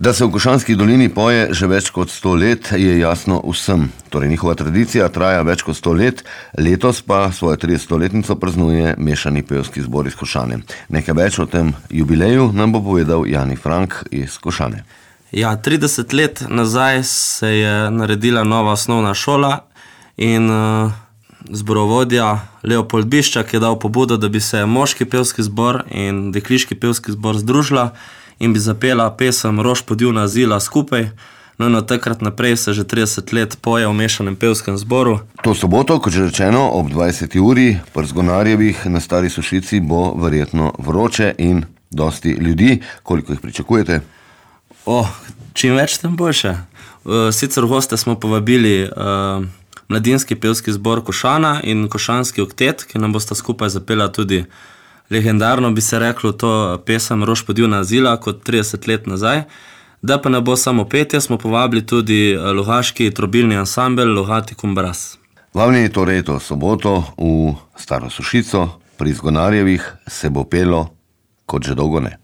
Da se v Košanski dolini poje že več kot 100 let, je jasno vsem. Torej njihova tradicija traja več kot 100 let, letos pa svojo 30-letnico praznuje Mešani pevski zbor iz Košane. Nekaj več o tem jubileju nam bo povedal Jani Frank iz Košane. Ja, 30 let nazaj se je naredila nova osnovna šola in zborovodja Leopold Biščak je dal pobudo, da bi se moški pevski zbor in dekliški pevski zbor združila in bi zapela pesem Rož podivna zila skupaj. No in od takrat naprej se že 30 let poje v Mešanem pevskem zboru. To soboto, kot že rečeno, ob 20. uri pri Zgonarjevih na Stari Sušici bo verjetno vroče in dosti ljudi. Koliko jih pričakujete? Čim več, tem boljše. Sicer v goste smo povabili Mladinski pevski zbor Košana in Košanski oktet, ki nam bosta skupaj zapela tudi legendarno, bi se reklo, to pesem Rož podivna zila kot 30 let nazaj. Da pa ne bo samo petje, smo povabili tudi logaški trobilni ansambel Logati Kumbras. Vabljeni torej to soboto v Staro Sušico pri Zgonarjevih se bo pelo kot že dolgo ne.